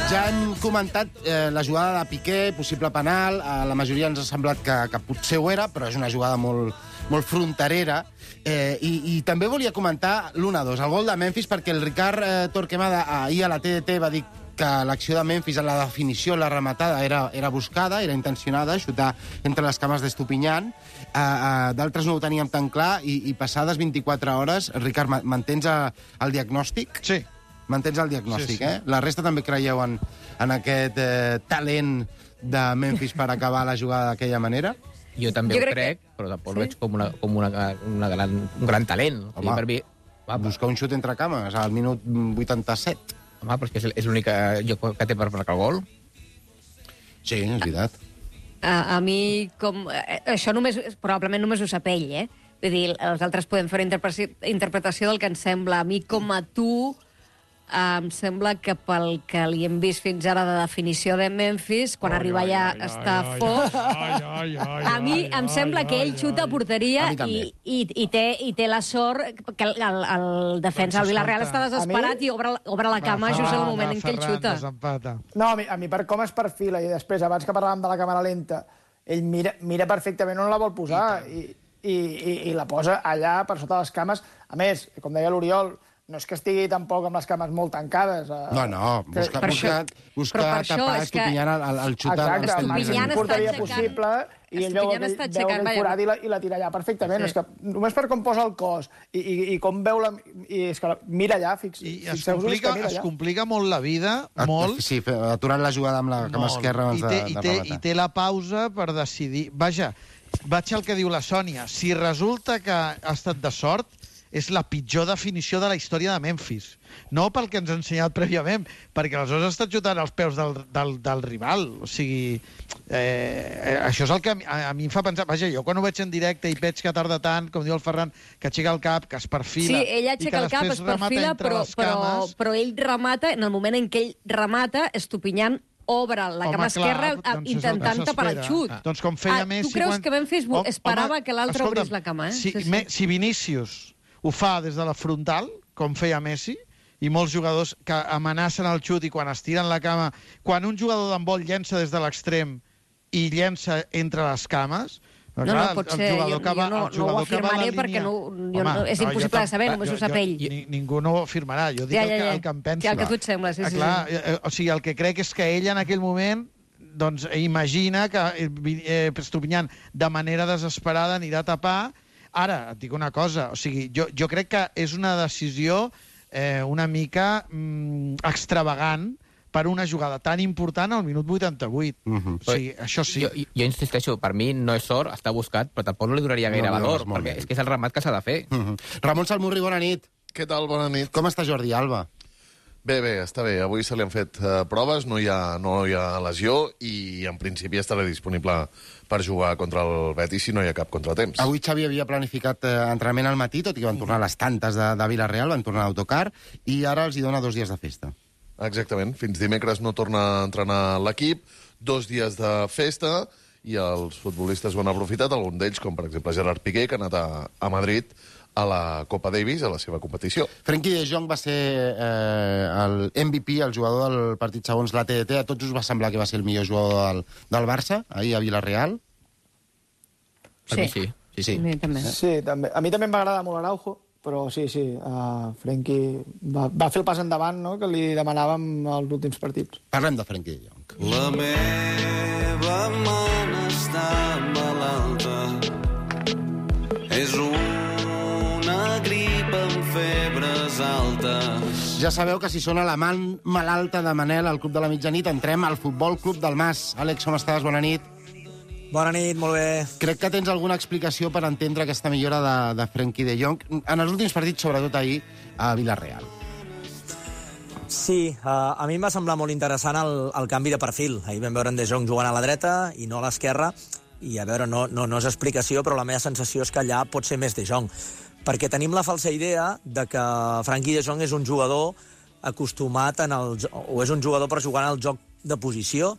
Ja hem comentat la jugada de Piqué, possible penal. A la majoria ens ha semblat que potser ho era, però és una jugada molt fronterera. I també volia comentar l'1-2, el gol de Memphis, perquè el Ricard Torquemada ahir a la TDT va dir que l'acció de Memphis, la definició, la rematada, era buscada, era intencionada, xutar entre les cames d'Estupinyan. D'altres no ho teníem tan clar, i passades 24 hores, Ricard, mantens el diagnòstic? Sí. Mantens el diagnòstic, eh? La resta també creieu en aquest talent de Memphis per acabar la jugada d'aquella manera? Jo també ho crec, però tampoc ho veig com un gran talent. Home, per mi, buscar un xut entre cames al minut 87. Home, però és l'únic lloc que té per marcar el gol. Sí, és veritat. A mi, això probablement només ho sap ell, eh? Vull dir, els altres podem fer una interpretació del que ens sembla. A mi, com a tu, em sembla que pel que li hem vist fins ara de definició de Memphis, quan arriba allà està fort. A mi em sembla que ell xuta a porteria i té la sort que el defensa del Villarreal està desesperat i obre la cama just en el moment en què ell xuta. No, a mi per com es perfila, i després, abans que parlàvem de la càmera lenta, ell mira perfectament on la vol posar i la posa allà per sota les cames. A més, com deia l'Oriol, no és que estigui tampoc amb les cames molt tancades. No, busca tapar Estupinyan el xut. Exacte, el màxim porteria possible, i ell veu aquell forat i la tira allà perfectament. És que només per com posa el cos i com veu la... És que mira allà, fixeu-vos que mira allà. Es complica molt la vida, molt. Sí, aturant la jugada amb la cama esquerra abans de rematar. I té la pausa per decidir... Vaja, vaig al que diu la Sònia. Si resulta que ha estat de sort, és la pitjor definició de la història de Memphis. No pel que ens ha ensenyat prèviament, perquè aleshores ha estat xutant als peus del rival. O sigui, això és el que a mi em fa pensar... Vaja, jo quan ho veig en directe i veig que tarda tant, com diu el Ferran, que aixeca el cap, que es perfila... Sí, ell aixeca el cap, es perfila, però ell remata, en el moment en què ell remata, Estupinyan obre la cama esquerra intentant tapar el xut. Doncs com feia Messi... Tu creus que Memphis esperava que l'altre obrís la cama, eh? Si Vinícius ho fa des de la frontal, com feia Messi, i molts jugadors que amenacen el xut i quan estiren la cama... Quan un jugador d'handbol llença des de l'extrem i llença entre les cames... No, potser, jo no ho afirmaré perquè és impossible de saber, només ho sap ell. Ningú no ho afirmarà, jo dic el que em penso. El que tu et sembla, sí. O sigui, el que crec és que ell en aquell moment imagina que Estupinyan de manera desesperada anirà a tapar. Ara, et dic una cosa, o sigui, jo crec que és una decisió una mica extravagant per una jugada tan important al minut 88. O sigui, això sí. Jo insisteixo, per mi no és sort, està buscat, però tampoc no li donaria gaire valor, perquè és que és el remat que s'ha de fer. Ramon Salmurri, bona nit. Què tal? Bona nit. Com està Jordi Alba? Bé, està bé. Avui se li han fet proves, no hi ha lesió i en principi estarà disponible per jugar contra el Betis si no hi ha cap contratemps. Avui Xavi havia planificat entrenament al matí, tot i que van tornar a les tantes de Villarreal, van tornar a l'autocar, i ara els hi dona 2 dies de festa. Exactament. Fins dimecres no torna a entrenar l'equip, 2 dies de festa, i els futbolistes ho han aprofitat, alguns d'ells, com per exemple Gerard Piqué, que ha anat a Madrid a la Copa Davis, a la seva competició. Frenkie de Jong va ser el MVP, el jugador del partit segons la TDT. A tots us va semblar que va ser el millor jugador del Barça, ahir a Villarreal? Per mi sí. A mi també. Sí, també. A mi també em va agradar molt Araujo, però sí, Frenkie va fer el pas endavant, no?, que li demanàvem als últims partits. Parlem de Frenkie de Jong. La meva mona està malalta, és una grip amb febres altes. Ja sabeu que si sona la man malalta de Manel al Club de la Mitjanit, entrem al Futbol Club del Mas. Àlex, com estàs? Bona nit. Bona nit, molt bé. Crec que tens alguna explicació per entendre aquesta millora de Frenkie de Jong en els últims partits, sobretot ahir, a Villarreal. Sí, a mi em va semblar molt interessant el canvi de perfil. Ahir vam veure en De Jong jugant a la dreta i no a l'esquerra, i a veure, no és explicació, però la meva sensació és que allà pot ser més De Jong. Perquè tenim la falsa idea de que Frenkie de Jong és un jugador acostumat o és un jugador per jugar en el joc de posició,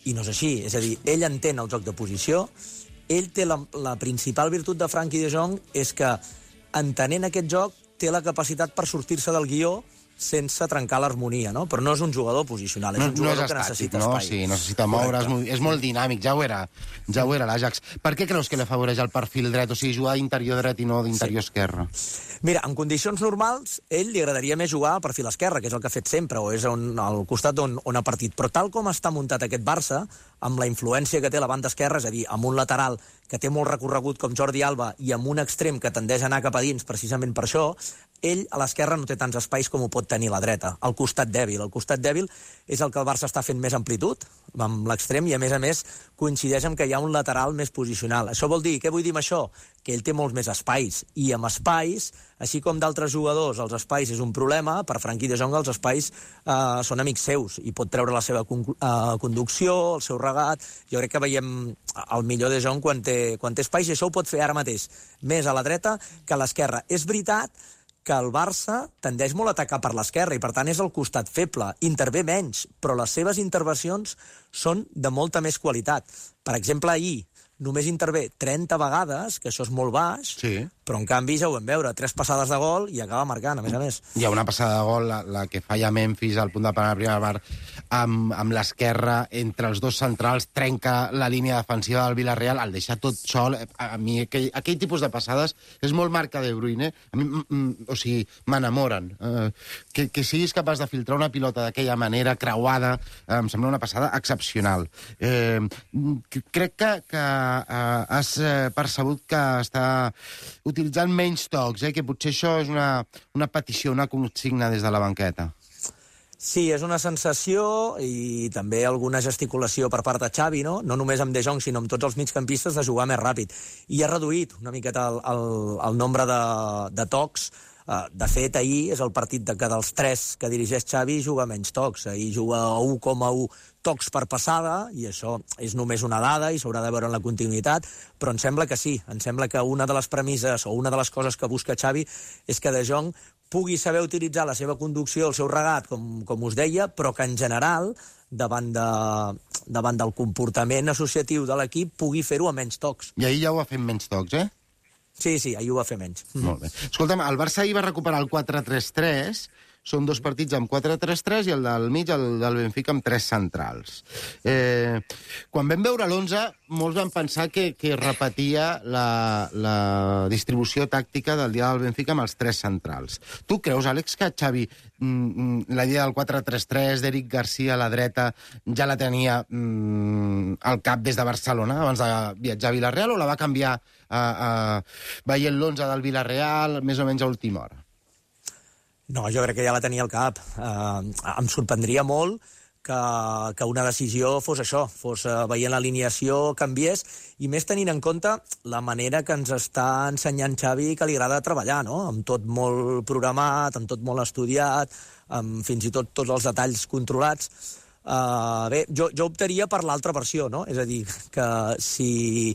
i no és així. És a dir, ell entén el joc de posició, ell té la principal virtut de Frenkie de Jong és que, entenent aquest joc, té la capacitat per sortir-se del guió sense trencar l'harmonia, no? Però no és un jugador posicional, és un jugador que necessita espai. Sí, necessita moure's, és molt dinàmic, ja ho era l'Ajax. Per què creus que l'afavoreix el perfil dret, o sigui, jugar d'interior dret i no d'interior esquerre? Mira, en condicions normals, ell li agradaria més jugar a perfil esquerre, que és el que ha fet sempre, o és al costat on ha partit. Però tal com està muntat aquest Barça, amb la influència que té la banda esquerra, és a dir, amb un lateral que té molt recorregut com Jordi Alba i amb un extrem que tendeix a anar cap a dins precisament per això, ell a l'esquerra no té tants espais com ho pot tenir la dreta. El costat dèbil. El costat dèbil és el que el Barça està fent més amplitud, amb l'extrem, i a més coincideix amb que hi ha un lateral més posicional. Això vol dir, què vull dir amb això? Que ell té molts més espais, i amb espais, així com d'altres jugadors, els espais és un problema, per Frenkie de Jong els espais són amics seus, i pot treure la seva conducció, el seu regat. Jo crec que veiem el millor de Jong quan té espais, i això ho pot fer ara mateix més a la dreta que a l'esquerra. És veritat que el Barça tendeix molt a atacar per l'esquerra i, per tant, és el costat feble. Intervé menys, però les seves intervencions són de molta més qualitat. Per exemple, ahir només intervé 30 vegades, que això és molt baix, sí. Però en canvi ja ho vam veure, 3 passades de gol i acaba marcant, a més. Hi ha una passada de gol, la que falla Memphis al punt de penal primer bar, amb l'esquerra entre els dos centrals, trenca la línia defensiva del Villarreal, el deixa tot sol. A mi aquell tipus de passades és molt marca de Bruyne. A mi, o sigui, m'enamoren. Que siguis capaç de filtrar una pilota d'aquella manera, creuada, em sembla una passada excepcional. Crec que has percebut que està utilitzant menys tocs, que potser això és una petició, una consigna des de la banqueta. Sí, és una sensació i també alguna gesticulació per part de Xavi, no? No només amb De Jong, sinó amb tots els migcampistes, de jugar més ràpid. I ha reduït una miqueta el nombre de tocs. De fet, ahir és el partit que dels 3 que dirigeix Xavi juga menys tocs. Ahir juga 1,1 tocs per passada, i això és només una dada i s'haurà de veure en la continuïtat, però em sembla que sí. Em sembla que una de les premisses o una de les coses que busca Xavi és que De Jong pugui saber utilitzar la seva conducció, el seu regat, com us deia, però que en general, davant del comportament associatiu de l'equip, pugui fer-ho a menys tocs. I ahir ja ho ha fet menys tocs, Sí, ahir ho va fer menys. Molt bé. Escolta'm, el Barça ahir va recuperar el 4-3-3, són 2 partits amb 4-3-3 i el del mig, el del Benfica, amb 3 centrals. Quan vam veure l'11, molts van pensar que repetia la distribució tàctica del dia del Benfica amb els 3 centrals. Tu creus, Àlex, que Xavi la idea del 4-3-3 d'Eric Garcia a la dreta ja la tenia al cap des de Barcelona, abans de viatjar a Villarreal, o la va canviar veient l'11 del Villarreal més o menys a última hora? No, jo crec que ja la tenia al cap. Em sorprendria molt que una decisió fos això, fos veient l'alineació, canviés, i més tenint en compte la manera que ens està ensenyant Xavi que li agrada treballar, no? Amb tot molt programat, amb tot molt estudiat, amb fins i tot tots els detalls controlats. Bé, jo optaria per l'altra versió, no? És a dir, que si...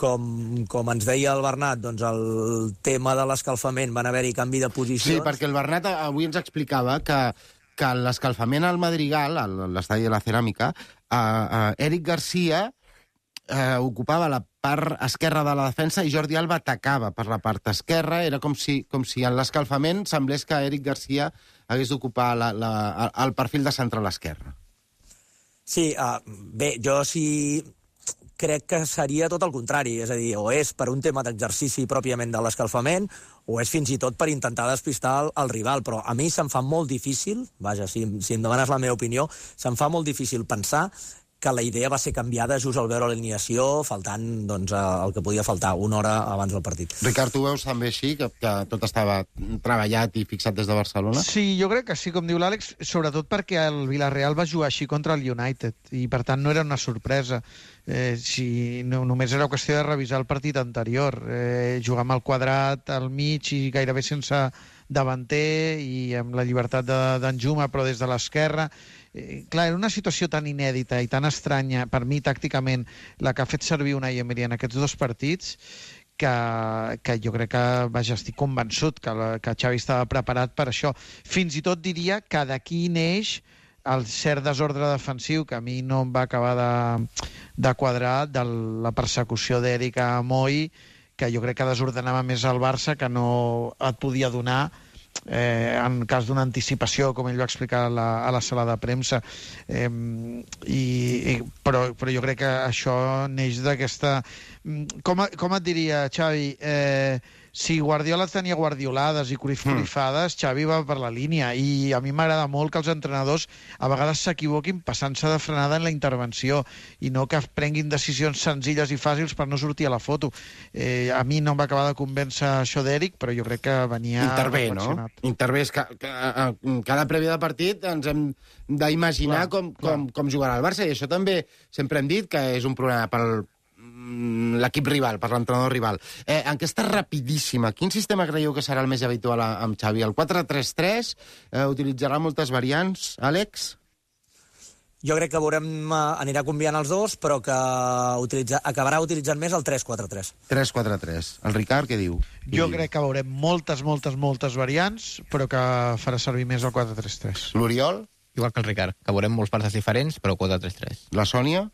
Com ens deia el Bernat, doncs el tema de l'escalfament van haver-hi canvi de posicions. Sí, perquè el Bernat avui ens explicava que l'escalfament al Madrigal, a l'estadi de la Ceràmica, Eric Garcia ocupava la part esquerra de la defensa i Jordi Alba atacava per la part esquerra. Era com si en l'escalfament semblés que Eric Garcia hagués d'ocupar el perfil de central esquerra. Sí, bé, jo sí... crec que seria tot el contrari, és a dir, o és per un tema d'exercici pròpiament de l'escalfament, o és fins i tot per intentar despistar el rival, però a mi se'm fa molt difícil, vaja, si em demanes la meva opinió, se'm fa molt difícil pensar que la idea va ser canviada just al veure l'alineació, faltant doncs, el que podia faltar, una hora abans del partit. Ricard, tu veus també així, que tot estava treballat i fixat des de Barcelona? Sí, jo crec que sí, com diu l'Àlex, sobretot perquè el Villarreal va jugar així contra el United, i per tant no era una sorpresa. Si només era qüestió de revisar el partit anterior, jugar amb el quadrat al mig i gairebé sense davanter i amb la llibertat d'en Juma, però des de l'esquerra. Clar, era una situació tan inèdita i tan estranya, per mi, tàcticament, la que ha fet servir Unai Emery en aquests 2 partits, que jo crec que, vaja, estic convençut que Xavi estava preparat per això. Fins i tot diria que d'aquí neix el cert desordre defensiu, que a mi no em va acabar de quadrar, de la persecució d'Eric a Moi, que jo crec que desordenava més el Barça, que no et podia donar en cas d'una anticipació, com ell va explicar a la sala de premsa. Però jo crec que això neix d'aquesta... Com et diria, Xavi? Si Guardiola tenia guardiolades i corifades, Xavi va per la línia, i a mi m'agrada molt que els entrenadors a vegades s'equivoquin passant-se de frenada en la intervenció i no que prenguin decisions senzilles i fàcils per no sortir a la foto. A mi no em va acabar de convèncer això d'Eric, però jo crec que venia... Intervé, no? Intervé. Cada prèvia de partit ens hem d'imaginar com jugarà el Barça, i això també sempre hem dit que és un problema pel l'equip rival, per l'entrenador rival. Enquesta rapidíssima. Quin sistema creieu que serà el més habitual amb Xavi? El 4-3-3? Utilitzarà moltes variants, Àlex? Jo crec que anirà combinant els dos, però que acabarà utilitzant més el 3-4-3. 3-4-3. El Ricard, què diu? Jo crec que veurem moltes variants, però que farà servir més el 4-3-3. L'Oriol? Igual que el Ricard, que veurem molts partits diferents, però 4-3-3. La Sònia?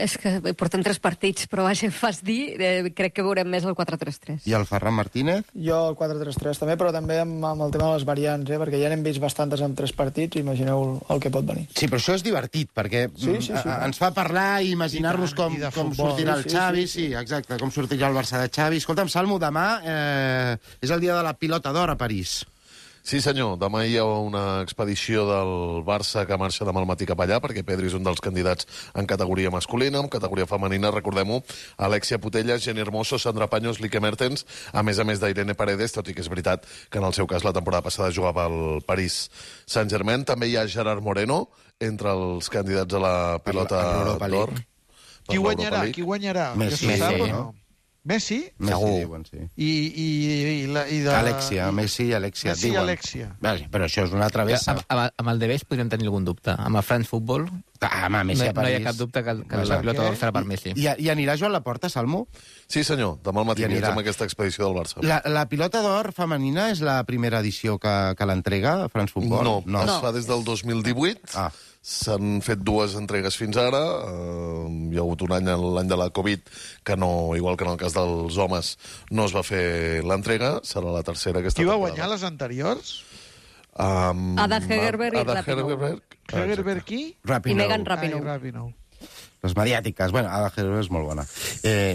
És que porten 3 partits, però vaja, fas dir, crec que veurem més el 4-3-3. I el Ferran Martínez? Jo el 4-3-3 també, però també amb el tema de les variants, perquè ja n'hem vist bastantes en 3 partits, imagineu el que pot venir. Sí, però això és divertit, perquè ens fa parlar i imaginar-nos com sortirà el Xavi, sí, exacte, com sortirà el Barça de Xavi. Escolta'm, Salmo, demà és el dia de la pilota d'or a París. Sí, senyor. Demà hi ha una expedició del Barça que marxa demà al matí cap allà, perquè Pedri és un dels candidats en categoria masculina. En categoria femenina, recordem-ho, Alexia Putellas, Jenny Hermoso, Sandra Paños, Lique Mertens, a més d'Irene Paredes, tot i que és veritat que en el seu cas la temporada passada jugava al París Saint-Germain. També hi ha Gerard Moreno, entre els candidats a la pilota d'or. Qui guanyarà? Messi, no? Messi? Messi, diuen, sí. Alexia, Messi i Alexia. Messi i Alexia. Però això és una travessa. Amb el Debes podríem tenir algun dubte. Amb el France Football Messi a París. No hi ha cap dubte que la pilota d'or serà per Messi. I anirà Joan Laporta, Salmo? Sí, senyor. Demà al matí anirà amb aquesta expedició del Barça. La pilota d'or femenina és la primera edició que l'entrega, France Football? No, es fa des del 2018. S'han fet 2 entregues fins ara. Hi ha hagut un any, l'any de la Covid, que no, igual que en el cas dels homes, no es va fer l'entrega. Serà la tercera aquesta temporada. Qui va guanyar les anteriors? Ada Hegerberg i Rapinoe. Hegerberg qui? I Megan Rapinoe. Les mediàtiques. Bueno, Ada Hegerberg és molt bona.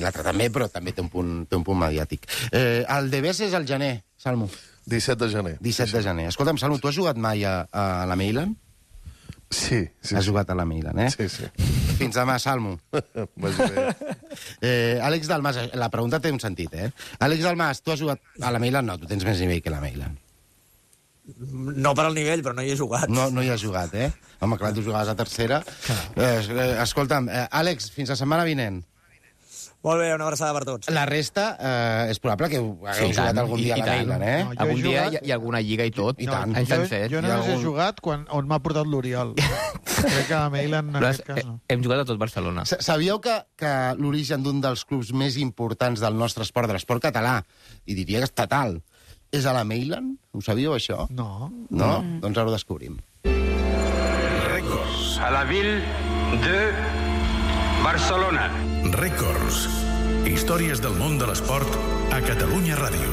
L'altra també, però també té un punt mediàtic. El Debes és el gener, Salmo. 17 de gener. 17 de gener. Escolta'm, Salmo, tu has jugat mai a la Mailand? Sí. Has jugat a la Mailand, eh? Sí. Fins demà, Salmo. Àlex Dalmas, la pregunta té un sentit, eh? Àlex Dalmas, tu has jugat a la Mailand? No, tu tens més nivell que la Mailand. No per al nivell, però no hi he jugat. No hi has jugat, eh? Home, clar, tu jugaves a tercera. Escolta'm, Àlex, fins la setmana vinent. Molt bé, una abraçada per tots. La resta és probable que hagueu jugat algun dia a la Mailand, eh? Algun dia hi ha alguna lliga i tot. I tant. Jo només he jugat on m'ha portat l'Oriol. Crec que a la Mailand, en aquest cas, no. Hem jugat a tot Barcelona. Sabíeu que l'origen d'un dels clubs més importants del nostre esport, de l'esport català, i diria que estatal, és a la Mailand? Ho sabíeu, això? No. No? Doncs ara ho descobrim. Records. A la ville de Barcelona. Records. Històries del món de l'esport a Catalunya Ràdio.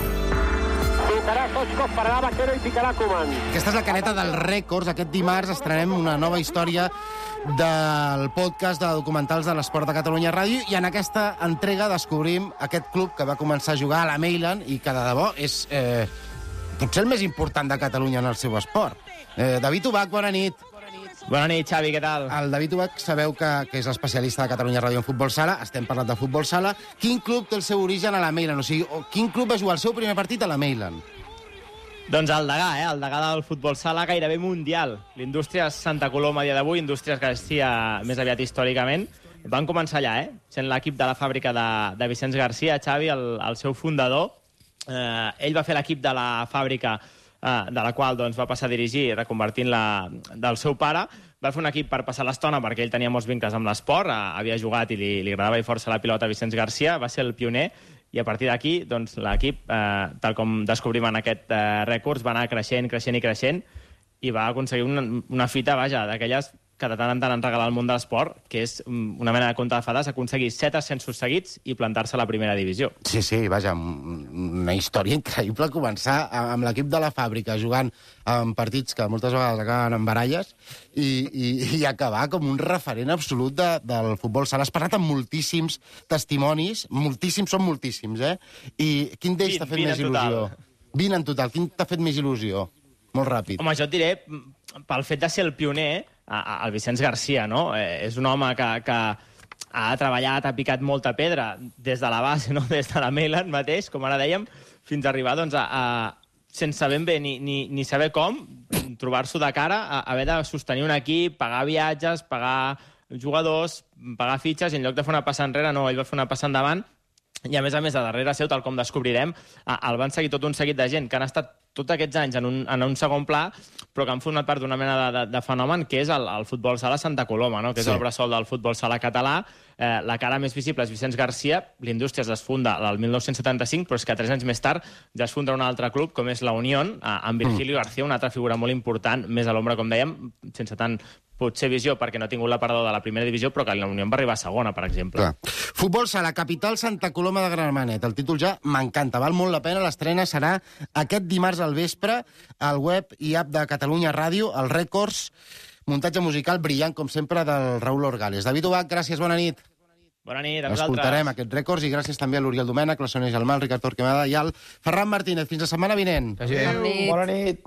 Tocarà Soscos, pararà Vaquero i picarà Koeman. Aquesta és la caneta dels Records. Aquest dimarts estrenem una nova història del podcast de documentals de l'esport de Catalunya Ràdio, i en aquesta entrega descobrim aquest club que va començar a jugar a la Mailand i que de debò és potser el més important de Catalunya en el seu esport. David Ubach, bona nit. Bona nit, Xavi, què tal? El David Ubach sabeu que és l'especialista de Catalunya Ràdio en futbol sala. Estem parlant de futbol sala. Quin club té el seu origen a la Mailand? O sigui, quin club va jugar el seu primer partit a la Mailand? Doncs el Degà, el Degà del futbol sala gairebé mundial. L'Indústries Santa Coloma a dia d'avui, Indústries Garcia més aviat històricament, van començar allà, sent l'equip de la fàbrica de Vicenç Garcia, Xavi, el seu fundador. Ell va fer l'equip de la fàbrica de la qual doncs, va passar a dirigir, reconvertint-la del seu pare. Va fer un equip per passar l'estona perquè ell tenia molts vincles amb l'esport, havia jugat i li agradava i força la pilota a Vicenç Garcia, va ser el pioner, i a partir d'aquí doncs, l'equip, tal com descobrim en aquest Records, va anar creixent i va aconseguir una fita, vaja, d'aquelles que de tant en tant han regalat al món de l'esport, que és una mena de conte de fades, aconseguir 7 ascensos seguits i plantar-se a la primera divisió. Sí, vaja, una història increïble començar amb l'equip de la fàbrica jugant en partits que moltes vegades acaben en baralles i acabar com un referent absolut del futbol sala. Has parlat amb moltíssims testimonis, són moltíssims, I quin d'ells t'ha fet més il·lusió? 20 en total. Quin t'ha fet més il·lusió? Molt ràpid. Home, jo et diré, pel fet de ser el pioner, el Vicenç Garcia, no? És un home que ha treballat, ha picat molta pedra des de la base, no? Des de la Mailand mateix, com ara dèiem, fins a arribar doncs, sense ben bé ni saber com, trobar-s'ho de cara, haver de sostenir un equip, pagar viatges, pagar jugadors, pagar fitxes, i en lloc de fer una passa enrere, no, ell va fer una passa endavant, i a més, a darrere seu, tal com descobrirem, el van seguir tot un seguit de gent que han estat tots aquests anys en un segon pla, però que han format part d'una mena de fenomen que és el futbol sala Santa Coloma, no? Que és el bressol del futbol sala català. La cara més visible és Vicenç Garcia. L'Indústries es funda el 1975, però és que 3 anys més tard ja es funda un altre club, com és la Unión, amb Virgilio García, una altra figura molt important, més a l'ombra, com dèiem, sense tant potser visió, perquè no ha tingut la perdó de la primera divisió, però que la Unió va arribar a segona, per exemple. Clar. Futbol sala, capital Santa Coloma de Gramenet. El títol ja m'encanta, val molt la pena. L'estrena serà aquest dimarts al vespre al web i app de Catalunya Ràdio, el Rècords, muntatge musical brillant, com sempre, del Raül Orgales. David Ubach, gràcies, bona nit. Bona nit, a vosaltres. Escoltarem aquests rècords i gràcies també a l'Oriol Domènech, la Sònia Gelmà, el Ricard Torquemada i al Ferran Martínez. Fins la setmana vinent. Bona nit.